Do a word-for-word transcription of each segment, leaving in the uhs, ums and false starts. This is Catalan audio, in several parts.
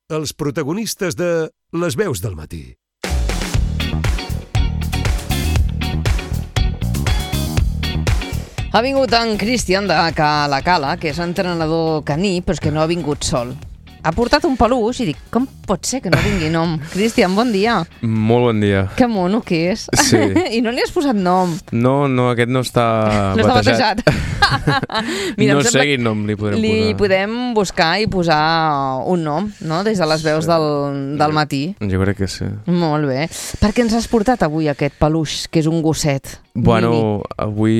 els protagonistes de Les veus del matí. Ha vingut en Cristian de Cala Cala, que és entrenador caní, però és que no ha vingut sol. Ha portat un peluix i dic, com pot ser que no vingui nom? Cristian, bon dia. Molt bon dia. Que mono que és. Sí. I no li has posat nom. No, no, aquest no està no batejat. No està batejat. Mira, no sé quin nom li podrem li posar. Li podem buscar i posar un nom, no?, des de les veus del, del matí. Jo crec que sí. Molt bé. Per què ens has portat avui aquest peluix, que és un gosset? Bueno, mini? avui,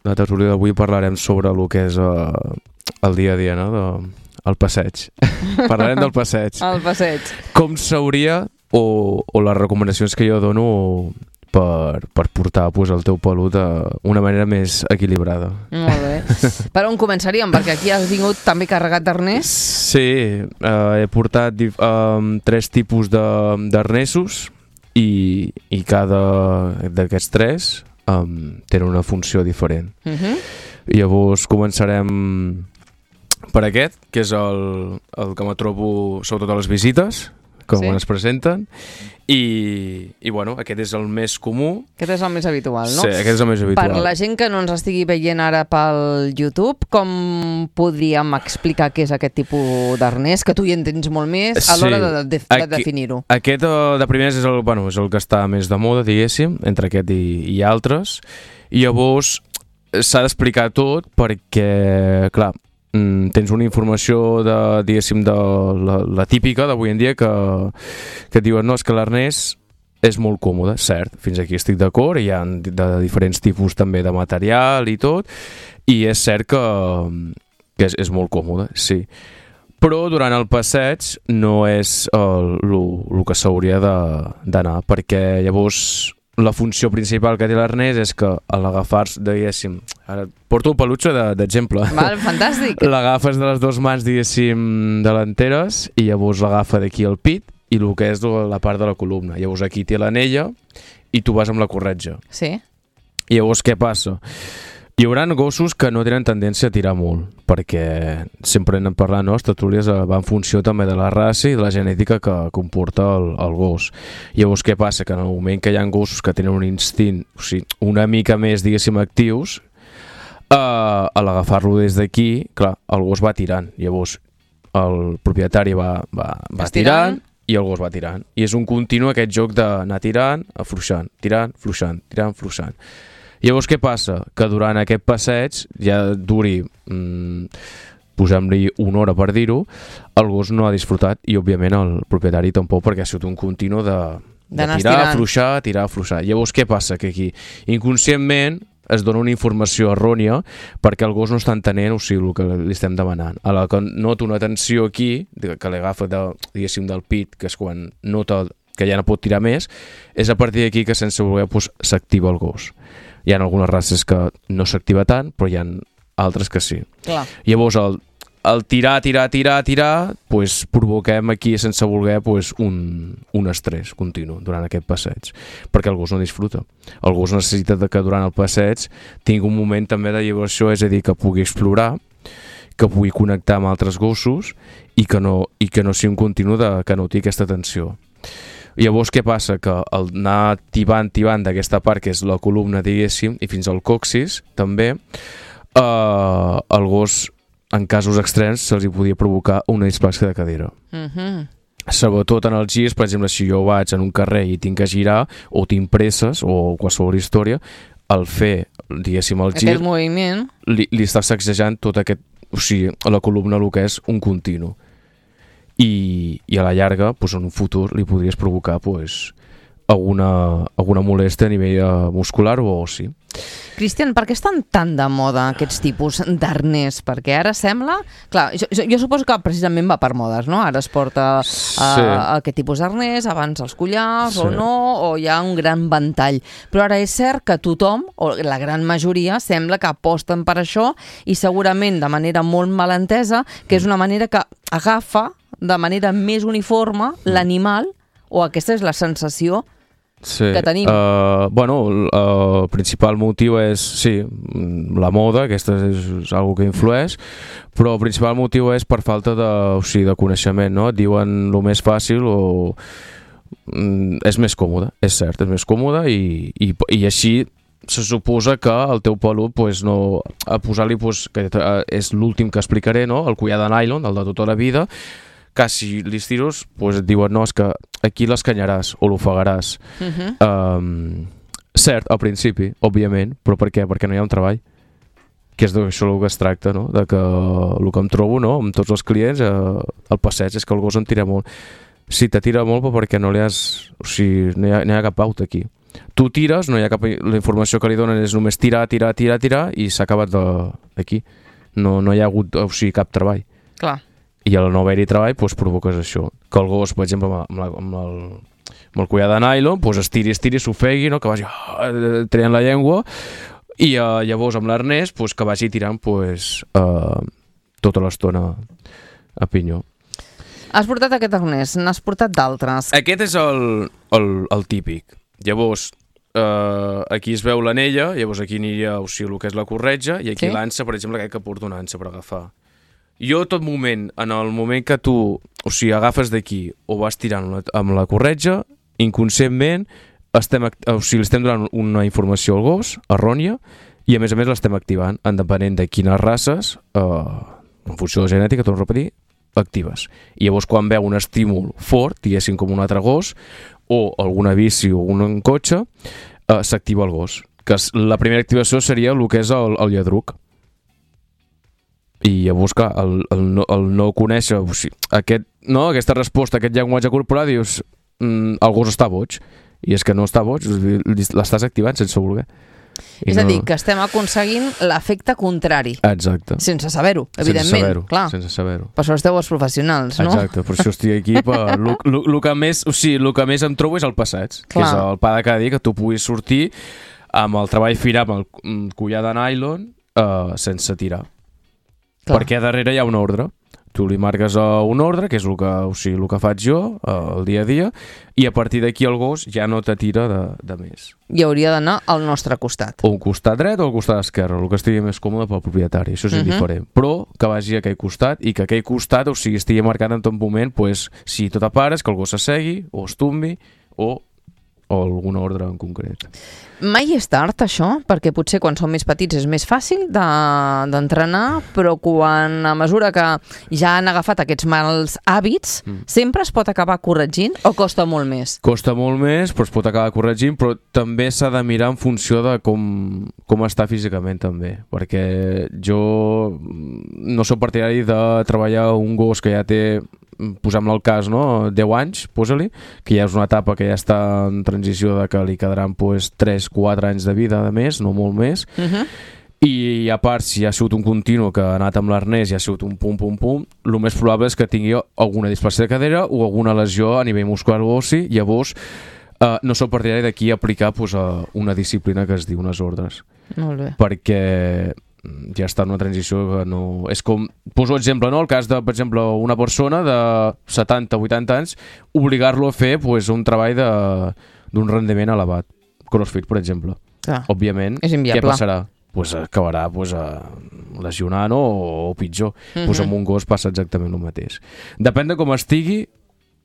la tertúlia d'avui parlarem sobre el que és uh, el dia a dia, no?, de... el passeig. Parlarem del passeig. El passeig. Com s'hauria, o, o les recomanacions que jo dono per, per portar pues, el teu pelut d'una manera més equilibrada. Molt bé. Per on començaríem? Perquè aquí has vingut també carregat d'arnès. Sí, uh, he portat um, tres tipus d'arnesos i, i cada d'aquests tres um, tenen una funció diferent. Uh-huh. Llavors començarem per aquest, que és el, el que me trobo sobretot a les visites, com sí. es presenten, i, i bueno, aquest és el més comú. Aquest és el més habitual, no? Sí, aquest és el més habitual. Per la gent que no ens estigui veient ara pel YouTube, com podríem explicar què és aquest tipus d'arnès, que tu hi entens molt més a l'hora sí. de, de, de Aquí, definir-ho? Aquest, de primers, és el, bueno, és el que està més de moda, diguéssim, entre aquest i, i altres, i llavors s'ha d'explicar tot perquè, clar, tens una informació de, diguéssim, de la, la típica d'avui en dia que, que et diuen, no, és que l'arnès és molt còmode, cert, fins aquí estic d'acord, hi ha de diferents tipus també de material i tot, i és cert que, que és, és molt còmode, sí. Però durant el passeig no és el, el, el que s'hauria d'anar, perquè llavors la funció principal que té l'arnès és que a l'agafar, diguéssim, ara porto el pelutxo d'exemple. Val, fantàstic. L'agafes de les dues mans, diguéssim, delanteres i llavors l'agafa d'aquí al pit i el que és la part de la columna. Llavors aquí té l'anella i tu vas amb la corretja. Sí. I llavors què passa? Hi haurà gossos que no tenen tendència a tirar molt, perquè sempre anem parlant, no? Les tertúlies van en funció també de la raça i de la genètica que comporta el, el gos. Llavors què passa? Que en el moment que hi ha gossos que tenen un instint, o sigui, una mica més, diguéssim, actius, eh, a l'agafar-lo des d'aquí, clar, el gos va tirant. Llavors el propietari va, va, va tirant i el gos va tirant. I és un continu aquest joc d'anar tirant, afluixant, tirant, fluixant, tirant, fluixant. Llavors què passa? Que durant aquest passeig, ja duri, mmm, posem-li una hora per dir-ho, el gos no ha disfrutat i òbviament el propietari tampoc, perquè ha sigut un continu de, de tirar, estirant. afluixar, tirar, afluixar. Llavors què passa? Que aquí inconscientment es dona una informació errònia perquè el gos no està entenent, o sigui, el que li estem demanant. A la que nota una tensió aquí, que l'agafa de, diguéssim, del pit, que és quan nota que ja no pot tirar més, és a partir d'aquí que sense voler doncs, s'activa el gos. Hi ha algunes races que no s'activa tant, però hi ha altres que sí. Clar. Llavors, el, el tirar, tirar, tirar, tirar, pues, provoquem aquí, sense voler, pues, un, un estrès continu durant aquest passeig, perquè el gos no disfruta. El gos necessita que durant el passeig tingui un moment també de lliberació, és a dir, que pugui explorar, que pugui connectar amb altres gossos i que no, i que no sigui un continu de, que no tingui aquesta tensió. Llavors què passa? Que al anar tibant, tibant d'aquesta part, que és la columna, diguéssim, i fins al coxis, també, eh, el gos, en casos extrems, se'ls hi podia provocar una displàsia de cadira. Uh-huh. Sobretot en els girs, per exemple, si jo vaig en un carrer i tinc que girar, o tinc presses, o qualsevol història, al fer, diguéssim, el gir, aquest moviment, li, li està sacsejant tot aquest, o sigui, la columna, el que és un continu. I, i a la llarga, doncs, en un futur li podries provocar doncs, alguna, alguna molèstia a nivell muscular o ossi. Cristian, per què estan tan de moda aquests tipus d'arnès? Perquè ara sembla... Clar, jo, jo suposo que precisament va per modes, no? Ara es porta uh, sí. aquest tipus d'arnès, abans els collars sí. o no, o hi ha un gran ventall. Però ara és cert que tothom, o la gran majoria, sembla que aposten per això i segurament de manera molt malentesa, que és una manera que agafa de manera més uniforme l'animal, o aquesta és la sensació sí. que tenim. Uh, bueno, el, el principal motiu és, sí, la moda, aquesta és, és una que influeix, però el principal motiu és per falta de, o sigui, de coneixement, no? Et diuen el més fàcil o mm, és més còmode, és cert, és més còmode i, i, i així se suposa que el teu pelut, pues, no, a posar-li, pues, que és l'últim que explicaré, no? El collar de nylon, el de tota la vida, que si li tiros, pues, et diuen no, és que aquí l'escanyaràs o l'ofegaràs. Uh -huh. um, cert, al principi, òbviament, però per què? Perquè no hi ha un treball, que és d'això el que es tracta, no? De que el que em trobo, no? Amb tots els clients eh, al passeig és que el gos em tira molt. Sí, te tira molt, però perquè no li has, o sigui, no hi ha, no hi ha cap pauta aquí. Tu tires, no hi ha cap, la informació que li donen és només tirar, tirar, tirar, tirar i s'ha acabat d'aquí. No, no hi ha hagut, o sigui, cap treball. Clar. I al no haver-hi treball, doncs provoques això. Que el gos, per exemple, amb, la, amb, el, amb el collar de nylon, doncs estiri, estiri, s'ofegui, no? Que vagi oh, traient la llengua, i uh, llavors amb l'arnès, doncs, que vagi tirant doncs, uh, tota l'estona a pinyó. Has portat aquest arnès, n'has portat d'altres. Aquest és el, el, el típic. Llavors, eh, aquí es veu l'anella, llavors aquí aniria, o sigui, el que és la corretja, i aquí sí? l'ansa, per exemple, aquest que porto una ansa per agafar. Jo, tot moment, en el moment que tu, o sigui, agafes d'aquí o vas tirant la, amb la corretja, inconscientment estem, o sigui, estem donant una informació al gos, errònia, i a més a més l'estem activant, en depenent de quines races, eh, en funció de la genètica, torno a repetir, actives. I llavors quan veu un estímul fort, diguéssim com un altre gos, o alguna bici o un cotxe, eh, s'activa el gos. Que la primera activació seria el que és el, el lladruc. I llavors, clar, el, el, no, el no conèixer, o sigui, aquest, no, aquesta resposta, aquest llenguatge corporal, dius, mm, el gos està boig. I és que no està boig, l'estàs activant sense voler. I és no... a dir, que estem aconseguint l'efecte contrari. Exacte. Sense saber-ho, evidentment. Sense saber-ho, clar. sense saber-ho. Per això esteu els professionals, no? Exacte, per això estic aquí. El que més, o sigui, el que més em trobo és el passeig, clar. Que és el pa de cada dia, que tu puguis sortir amb el treball finar, amb el collar de nylon, eh, sense tirar. Clar. Perquè darrere hi ha un ordre. Tu li marques un ordre, que és el que, o sigui, el que faig jo el dia a dia, i a partir d'aquí el gos ja no te tira de, de més. I hauria d'anar al nostre costat. O al costat dret o al costat esquerre, el que estigui més còmode pel propietari, això és uh-huh. indiferent. Però que vagi a aquell costat i que aquell costat, o sigui, estigui marcat en tot moment, pues, si tot a pares, que el gos s'assegui, o es tombi, o, o algun ordre en concret. Mai és tard, això? Perquè potser quan som més petits és més fàcil d'entrenar, de, però quan a mesura que ja han agafat aquests mals hàbits, mm. sempre es pot acabar corregint o costa molt més? Costa molt més, però es pot acabar corregint, però també s'ha de mirar en funció de com, com està físicament també, perquè jo no soc partidari de treballar un gos que ja té, posem-ne el cas, no? deu anys, posa-li, que ja és una etapa que ja està en transició de que li quedaran pues, tres quatre anys de vida de més, no molt més, uh-huh. i a part, si ha sigut un continu que ha anat amb l'arnès i ha sigut un pum, pum, pum, el més probable és que tingui alguna displació de cadera o alguna lesió a nivell muscular o ossi, llavors eh, no sóc partidari d'aquí aplicar pues, una disciplina que es diu unes ordres. Molt bé. Perquè ja està en una transició que no... És com, poso exemple, no? El cas de, per exemple, una persona de setanta vuitanta anys, obligar-lo a fer pues, un treball d'un rendiment elevat. Crossfit, per exemple. Ah, òbviament, què passarà? Pues acabarà pues, lesionant o, o pitjor. Uh-huh. Pues amb un gos passa exactament el mateix. Depèn de com estigui,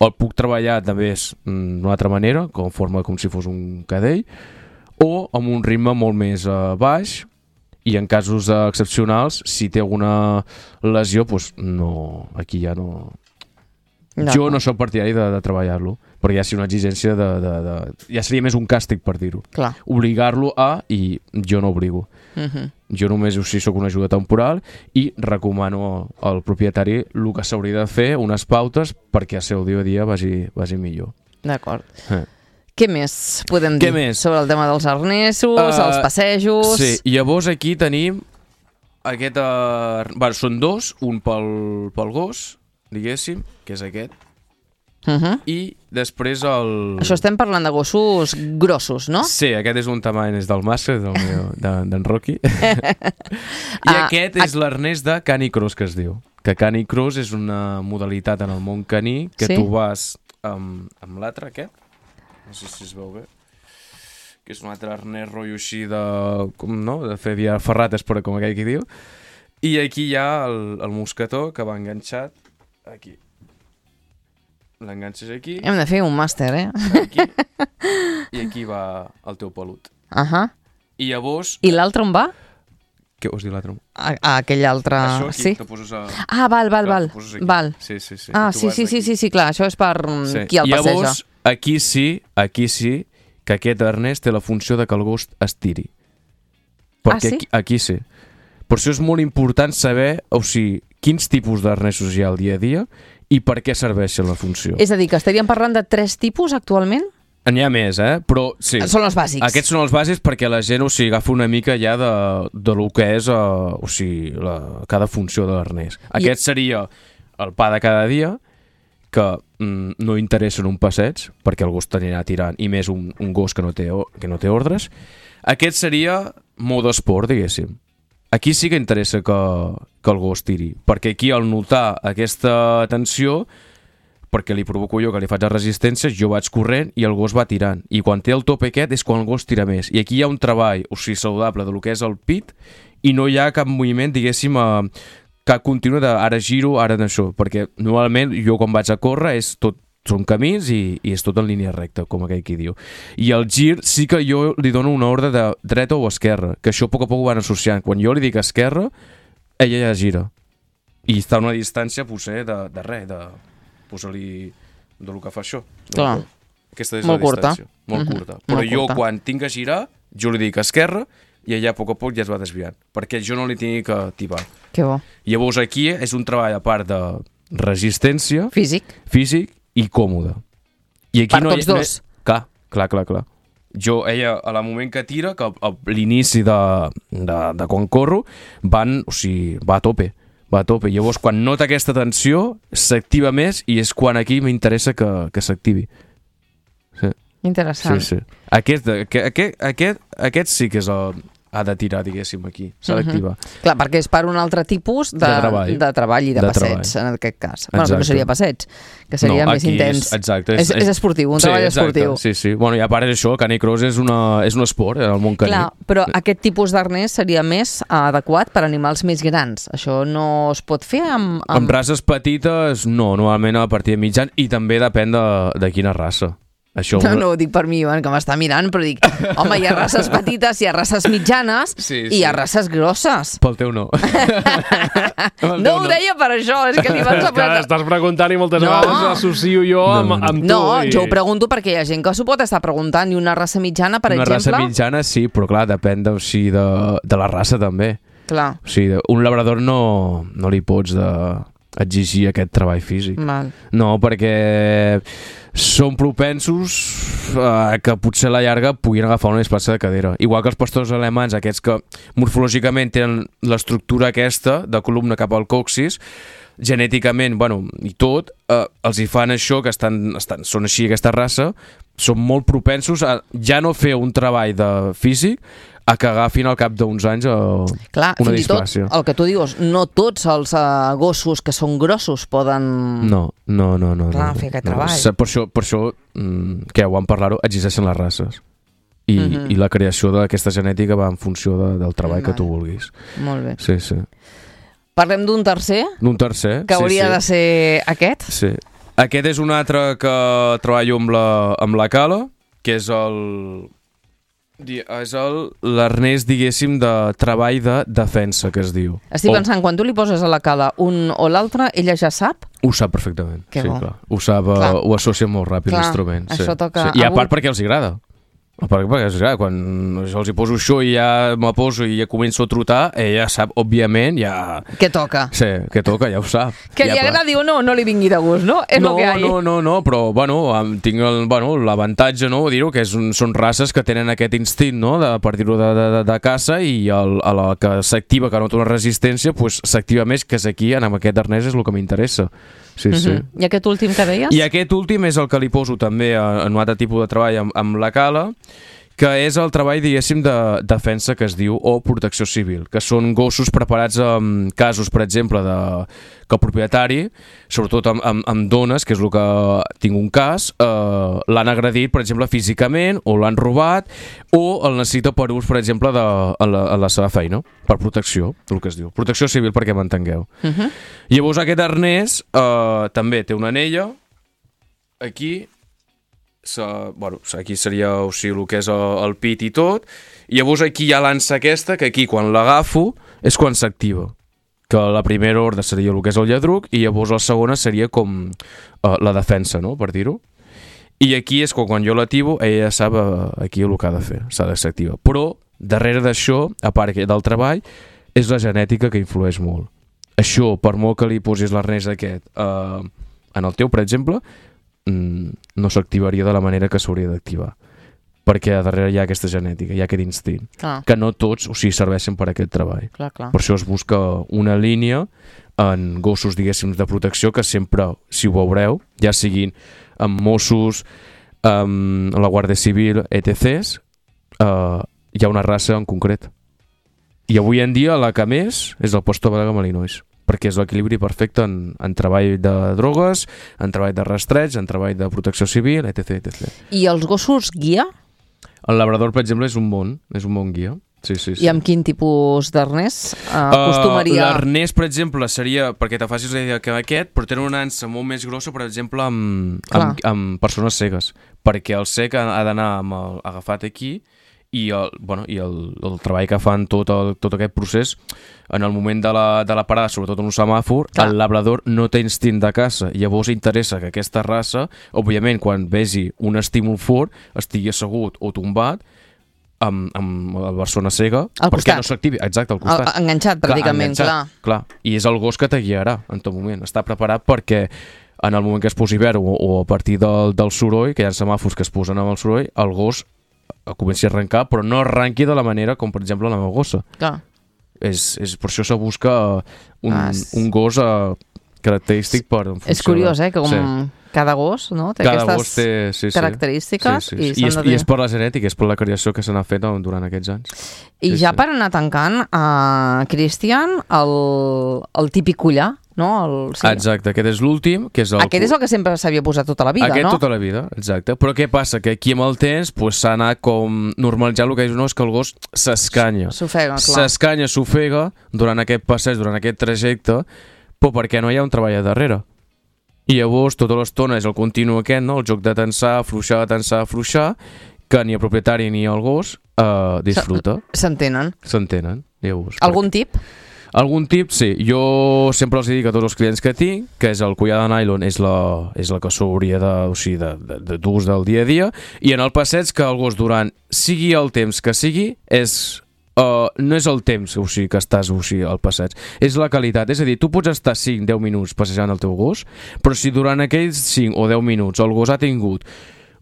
el puc treballar també d'una altra manera, com forma com si fos un cadell, o amb un ritme molt més uh, baix, i en casos uh, excepcionals, si té alguna lesió, pues no, aquí ja no... no. Jo no soc partidari de, de treballar-lo, perquè ja seria una exigència de, de, de... ja seria més un càstig, per dir-ho. Obligar-lo a, i jo no obligo. Uh-huh. Jo només o sigui, soc una ajuda temporal i recomano al propietari el que s'hauria de fer, unes pautes, perquè el seu dia a dia vagi, vagi millor. D'acord. Eh. Què més podem dir més? sobre el tema dels arnesos, uh, els passejos... Sí, llavors aquí tenim aquest... Uh, bueno, són dos, un pel, pel gos, diguéssim, que és aquest, uh-huh. i després el... Això estem parlant de gossos grossos, no? Sí, aquest és un tamany és del mascle, d'en de, Rocky. I ah, aquest és a... l'arnès de Canicross, que es diu. Que Canicross és una modalitat en el món caní que sí? tu vas amb, amb l'altre, aquest, no sé si es veu bé. que és un altre arnès rotllo així de, com, no? de fer via ferrates, però com aquell que diu. I aquí hi ha el, el mosquetó que va enganxat aquí. L'enganxes aquí. Hem de fer un màster, eh? Aquí. I aquí va el teu pelut. Ahà. I llavors... I l'altre on va? Què vols dir l'altre? A, a aquell altre... Això aquí, sí? que poses a... Ah, val, val, val. val. Sí, sí, sí. Ah, sí, sí, sí, sí, sí, clar, això és per sí. qui el passeja. Llavors, aquí sí, aquí sí, que aquest arnès té la funció de que el gos es tiri. Perquè ah, sí? Aquí, aquí sí. Per això és molt important saber, o sigui, quins tipus d'arnesos hi ha al dia a dia i per què serveixen la funció. És a dir, que estaríem parlant de tres tipus actualment? N'hi ha més, eh? Però sí. Són els bàsics. Aquests són els bàsics perquè la gent, o sigui, agafa una mica ja de, de lo que és, uh, o sigui, la, cada funció de l'arnès. Aquest I... seria el pa de cada dia, que mm, no interessa en un passeig, perquè el gos t'anirà tirant, i més un, un gos que no, té, que no té ordres. Aquest seria mode esport, diguéssim. Aquí sí que interessa que, que el gos tiri, perquè aquí al notar aquesta tensió, perquè li provoco jo que li faig la resistència, jo vaig corrent i el gos va tirant. I quan té el tope aquest és quan el gos tira més. I aquí hi ha un treball, o sigui, saludable de lo que és el pit, i no hi ha cap moviment, diguéssim, eh, cap continu de ara giro, ara d'això, perquè normalment jo quan vaig a córrer és tot, són camins i, i és tot en línia recta, com aquell qui diu. I el gir sí que jo li dono una ordre de dreta o esquerra, que això a poc a poc ho van associant. Quan jo li dic esquerra, ella ja gira. I està a una distància, potser, de, de res, de posar-li del que fa això. Clar. Aquesta és molt la curta. distància. Molt Mm-hmm. curta. Però molt jo, curta. quan tinc que girar, jo li dic esquerra i ella a poc a poc ja es va desviant, perquè jo no li tinc que tibar. Que bo. Llavors aquí és un treball a part de resistència, Físic. físic i còmode. I aquí Per no tots hi, dos. No, clar, clar, clar, clar. Jo, ella, a la moment que tira, que a l'inici de, de, de quan corro, van, o sigui, va a tope, va a tope. Llavors, quan nota aquesta tensió, s'activa més i és quan aquí m'interessa que, que s'activi. Sí. Interessant. Sí, sí. Aquest, aquest, aquest, aquest sí que és el, ha de tirar, diguéssim, aquí. S'ha d'activar. Mm-hmm. Clar, perquè és per un altre tipus de, De treball. de treball i de, De passeig, treball. en aquest cas. Bueno, que no Exacte. seria passeig, que seria No, més aquí intens. És, exacte. És, és esportiu, un sí, treball exacte, esportiu. Sí, sí. Bueno, i a part és això, el canicross és, una, és un esport, eh, el món caní. Clar, però aquest tipus d'arnès seria més adequat per a animals més grans. Això no es pot fer amb... Amb, amb races petites, no, normalment a partir de mitjan, i també depèn de, de quina raça. Això No, no ho dic per mi, Ivan, que m'està mirant, però dic, home, hi ha races petites, hi ha races mitjanes Sí, i sí. hi ha races grosses. Pel teu no. Pel No teu ho deia per això, és que l'Ivan s'ha És que posat... estàs preguntant i moltes No. vegades associo jo No, amb, no. amb tu. No, i... jo ho pregunto perquè hi ha gent que s'ho pot estar preguntant i una raça mitjana, per Una exemple... raça mitjana sí, però clar, depèn de, o sigui, de, de la raça també. Clar, O sigui, un labrador no, no li pots de, exigir aquest treball físic. Val. No, perquè són propensos a que potser a la llarga puguin agafar una desplaça de cadera. Igual que els pastors alemans, aquests que morfològicament tenen l'estructura aquesta de columna cap al coxis, genèticament, bueno, i tot, eh, els hi fan això, que estan, estan, són així aquesta raça, són molt propensos a ja no fer un treball de físic, a que agafin al cap d'uns anys a Clar, una fins i tot, displàcia. el que tu dius, no tots els uh, gossos que són grossos poden... No, no, no. no Clar, no, fer aquest no. treball. Se- Per això, per això mm, que ho vam parlar-ho, existeixen les races. I, Mhm. i la creació d'aquesta genètica va en funció de, del treball que Vale. tu vulguis. Molt bé. Sí, sí. Parlem d'un tercer, Un tercer. que sí, hauria sí. de ser aquest. Sí. Aquest és un altre que treballo amb la, amb la cala, que és el... di- és el l'arnès, diguéssim, de treball de defensa, que es diu. Estic O- pensant, quan tu li poses a la cala un o l'altre, ella ja sap? Ho sap perfectament. Que sí, bo. clar. Ho sap, eh, Clar. ho associa molt ràpid Clar, l'instrument. Sí. això toca- Sí. I a avui- part perquè els agrada. A part perquè els agrada. Quan jo els hi poso això i ja me poso i ja començo a trotar, ella sap, òbviament, ja... Què toca? Sí, que toca, ja ho sap. Que ja li agradi o no, no li vingui de gust, no? És no, el que hi ha. no, no, no, però bueno, em- tinc el- bueno, l'avantatge, no, dir-ho, que és un, són races que tenen aquest instint, no, de, per dir-ho, de, de, de, de caça, i el, a la que s'activa, que nota una resistència, pues, s'activa més, que és aquí, en aquest arnès és el que m'interessa. Sí, sí. Mhm. I aquest últim que deies? I aquest últim és el que li poso també a- en un altre tipus de treball amb, amb la cala, que és el treball, diguéssim, de defensa que es diu, o protecció civil, que són gossos preparats en casos, per exemple, de, que el propietari, sobretot amb, amb, amb dones, que és el que tinc un cas, eh, l'han agredit, per exemple, físicament, o l'han robat, o el necessita per ús, per exemple, de, a, la, a la seva feina, per protecció, el que es diu. Protecció civil, perquè m'entengueu. Uh-huh. Llavors, aquest arnès eh, també té una anella, aquí, sa, bueno, aquí seria o sigui, el que és el, el pit i tot, i llavors aquí hi ha l'ansa aquesta, que aquí quan l'agafo és quan s'activa, que la primera ordre seria el que és el lladruc i llavors la segona seria com uh, la defensa, no?, per dir-ho, i aquí és quan, quan jo l'activo ella sap uh, aquí el que ha de fer, s'ha de s'activa, però darrere d'això, a part del treball, és la genètica que influeix molt. Això, per molt que li posis l'arnès aquest uh, en el teu, per exemple, no s'activaria de la manera que s'hauria d'activar, perquè darrere hi ha aquesta genètica, hi ha aquest instint, clar, que no tots o sigui, serveixen per a aquest treball. Clar, clar. Per això es busca una línia en gossos, diguéssim, de protecció, que sempre, si ho veureu, ja siguin amb Mossos, amb la Guàrdia Civil, etcètera, eh, hi ha una raça en concret. I avui en dia la que més és el Postor Belga Malinois, perquè és l'equilibri perfecte en, en treball de drogues, en treball de rastreig, en treball de protecció civil, etcètera, etcètera. I els gossos guia? El labrador, per exemple, és un bon, és un bon guia. Sí, sí, sí. I amb quin tipus d'arnès uh, acostumaria? Uh, L'arnès, per exemple, seria, perquè te facis la idea que aquest, però tenen una ansa molt més grossa, per exemple, amb, amb, amb persones cegues, perquè el cec ha, ha d'anar amb el, agafat aquí, i el, bueno, i el, el treball que fan tot, el, tot aquest procés en el moment de la, de la parada, sobretot en un semàfor, clar, el labrador no té instint de caça, llavors interessa que aquesta raça, òbviament quan vegi un estímul fort estigui assegut o tombat amb, amb la persona cega al perquè costat. No s'activi, exacte, al costat, el, enganxat pràcticament, clar, enganxat, clar. clar, i és el gos que te guiarà en tot moment, està preparat perquè en el moment que es posi verd o, o a partir del, del soroll, que hi ha semàfors que es posen amb el soroll, el gos comenci a arrencar, però no arrenqui de la manera com, per exemple, la meva gossa. Clar. És, és, per això se busca un, ah, és... un gos uh, característic per... És curiós, eh? Que com sí. cada gos, no? Té cada aquestes gos té, sí, sí. característiques. Sí, sí, sí. I, I, és, I és per la genètica, és per la creació que se n'ha fet durant aquests anys. I sí, ja sí. per anar tancant, uh, Cristian, el, el típic collar, no? El, sí. Exacte, aquest és l'últim, que és el... Aquest és el que sempre s'havia posat tota la vida, aquest no? Aquest tota la vida, exacte. Però què passa? Que aquí amb el temps s'ha pues, anat com normalitzant el que és, no, és que el gos s'escanya. S'ofega, clar. S'escanya, s'ofega durant aquest passeig, durant aquest trajecte, però perquè no hi ha un treball a darrere. I llavors tota l'estona és el continu aquest, no? El joc de tensar, afluixar, tensar, afluixar, que ni el propietari ni el gos eh, disfruta. S'entenen. S'entenen, llavors. Algun tip? Algun tip, sí. Jo sempre els dic a tots els clients que tinc que és el collar de nylon és la, és la que s'hauria de, o sigui, de, de, de d'ús del dia a dia, i en el passeig que el gos durant sigui el temps que sigui és... Uh, no és el temps o sigui, que estàs o sigui, al passeig, és la qualitat, és a dir, tu pots estar cinc a deu minuts passejant el teu gos, però si durant aquells cinc o deu minuts el gos ha tingut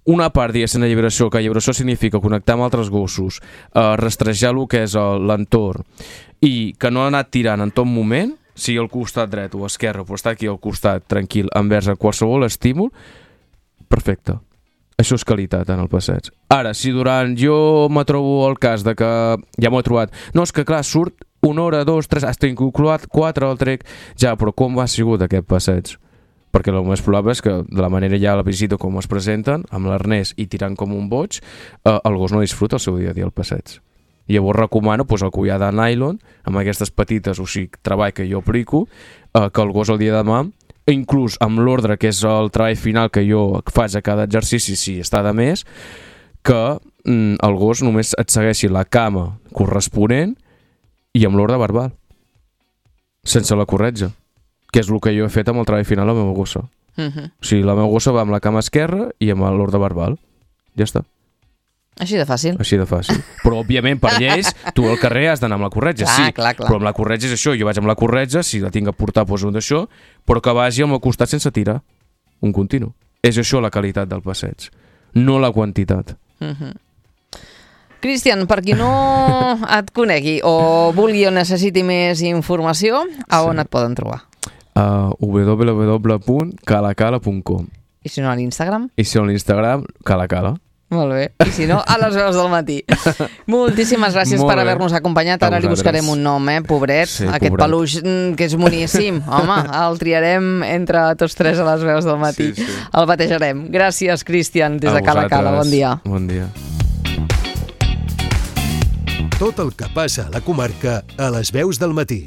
una part, diguéssim, de lliberació, que lliberació significa connectar amb altres gossos, uh, rastrejar el que és l'entorn, i que no ha anat tirant en tot moment, sigui al costat dret o esquerre, però està aquí al costat tranquil envers a qualsevol estímul, perfecte. Això és qualitat en el passeig. Ara, si durant jo me trobo el cas de que ja m'ho he trobat, no, és que clar, surt una hora, dos, tres, has incluat quatre, el trec, ja, però com ha sigut aquest passeig? Perquè el més probable és que de la manera ja la visita com es presenten, amb l'arnès i tirant com un boig, eh, el gos no disfruta el seu dia a dia al passeig. I llavors recomano pues, el collar de nylon, amb aquestes petites, o sigui, treball que jo aplico, eh, que el gos el dia de demà, inclús amb l'ordre, que és el treball final que jo faig a cada exercici, si està de més, que mm, el gos només et segueixi la cama corresponent i amb l'ordre verbal, sense la corretja, que és el que jo he fet amb el treball final a la meva gossa. Uh-huh. O sigui, la meva gossa va amb la cama esquerra i amb l'ordre verbal. Ja està. Així de fàcil. Així de fàcil. Però, òbviament, per lleis, tu al carrer has d'anar amb la corretja, clar, sí. Clar, clar. Però amb la corretja és això. Jo vaig amb la corretja, si la tinc a portar, poso un d'això, però que vagi al meu costat sense tirar. Un continu. És això la qualitat del passeig, no la quantitat. Uh-huh. Cristian, per qui no et conegui o vulgui o necessiti més informació, a on sí. et poden trobar? A w w w punt calacala punt com. I si no a l'Instagram? I si no a l'Instagram, calacala. Molt bé. I si no, a les veus del matí. Moltíssimes gràcies Molt per bé. haver-nos acompanyat. Ara A li buscarem vosaltres. un nom, eh, pobret. Sí, Aquest pobret. peluix mm, que és moníssim. Home, el triarem entre tots tres a les veus del matí. Sí, sí. El batejarem. Gràcies, Cristian, des A de Cala Cala. Bon vosaltres. dia. Bon dia. Tot el que passa a la comarca a les veus del matí.